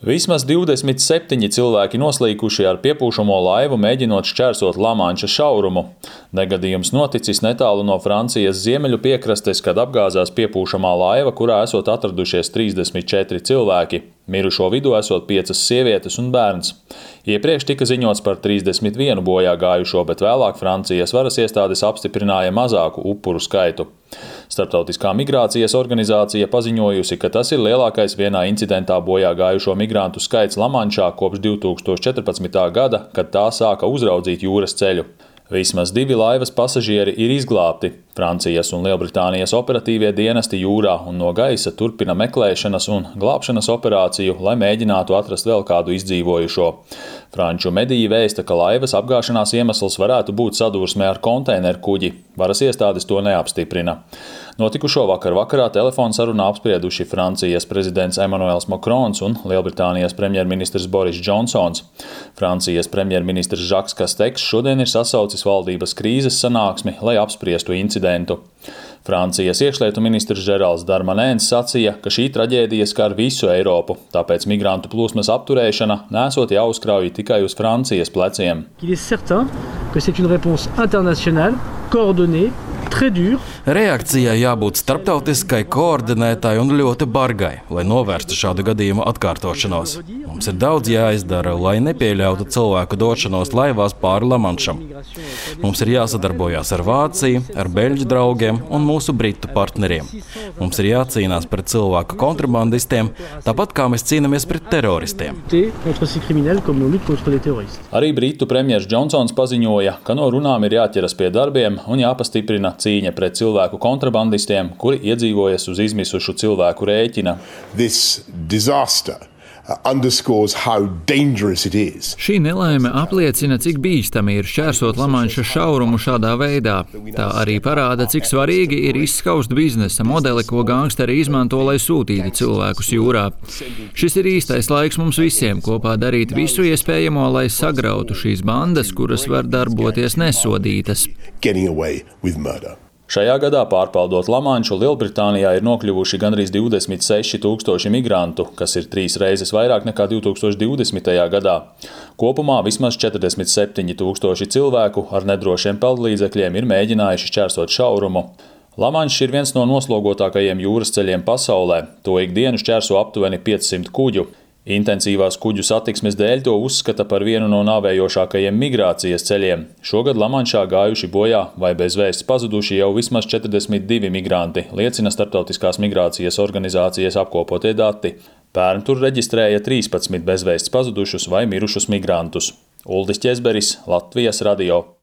Vismaz 27 cilvēki noslīkuši ar piepūšamo laivu, mēģinot šķērsot Lamanša šaurumu. Negadījums noticis netālu no Francijas ziemeļu piekrastes, kad apgāzās piepūšamā laiva, kurā esot atradušies 34 cilvēki. Mirušo vidū esot 5 sievietes un bērns. Iepriekš tika ziņots par 31 bojā gājušo, bet vēlāk Francijas varas iestādes apstiprināja mazāku upuru skaitu. Starptautiskā migrācijas organizācija paziņojusi, ka tas ir lielākais vienā incidentā bojā gājušo migrantu skaits Lamanšā kopš 2014. gada, kad tā sāka uzraudzīt jūras ceļu. Vismaz 2 laivas pasažieri ir izglābti. Francijas un Lielbritānijas operatīvie dienesti jūrā un no gaisa turpina meklēšanas un glābšanas operāciju, lai mēģinātu atrast vēl kādu izdzīvojušo. Franču mediji vēsta, ka laivas apgāšanās iemesls varētu būt sadursme ar konteineru kuģi. Varas iestādes to neapstiprina. Notikušo vakarā telefonsarunā apsprieduši Francijas prezidents Emmanuels Macrons un Lielbritānijas premjerministrs Boris Džonsons. Francijas premjerministrs Žaks Kasteks šodien ir sasaucis valdības krīzes sanāksmi, lai apspriestu incidentu. Francijas iekšlietu ministrs Žerāls Darmanēns sacīja, ka šī traģēdija skar visu Eiropu, tāpēc migrantu plūsmas apturēšana nesot jāuzkrauj tikai uz Francijas pleciem. Reakcijai jābūt starptautiskai, koordinētai un ļoti bargai, lai novērstu šādu gadījumu atkārtošanos. Mums ir daudz jāizdara, lai nepieļautu cilvēku došanos laivās pāri Lamanšam. Mums ir jāsadarbojās ar Vāciju, ar beļģu draugiem un mūsu britu partneriem. Mums ir jācīnās pret cilvēku kontrabandistiem, tāpat kā mēs cīnāmies pret teroristiem. Arī britu premjers Džonsons paziņoja, ka no runām ir jāķeras pie darbiem un jāpastiprina cīņa pret cilvēku kontrabandistiem, kuri iedzīvojas uz izmisušu cilvēku rēķina. Šī nelaime apliecina, cik bīstami ir šķērsot Lamanša šaurumu šādā veidā. Tā arī parāda, cik svarīgi ir izskaust biznesa modeli, ko gangsteri izmanto, lai sūtītu cilvēkus jūrā. Šis ir īstais laiks mums visiem kopā darīt visu iespējamo, lai sagrautu šīs bandas, kuras var darboties nesodītas. Šajā gadā, pārpaldot Lamanšu, Lielbritānijā ir nokļuvuši gandrīz 26 000 migrantu, kas ir 3 reizes vairāk nekā 2020. gadā. Kopumā vismaz 47 000 cilvēku ar nedrošiem peldlīdzekļiem ir mēģinājuši šķērsot šaurumu. Lamanšs ir viens no noslogotākajiem jūras ceļiem pasaulē. To ikdienu šķērso aptuveni 500 kuģu. Intensīvās kuģu satiksmes dēļ to uzskata par vienu no nāvējošākajiem migrācijas ceļiem. Šogad Lamanšā gājuši bojā vai bez vēsts pazuduši jau vismaz 42 migranti, liecina Starptautiskās migrācijas organizācijas apkopotie dati. Pērn tur reģistrēja 13 bezvēsts pazudušus vai mirušus migrantus. Uldis Ķezberis, Latvijas radio.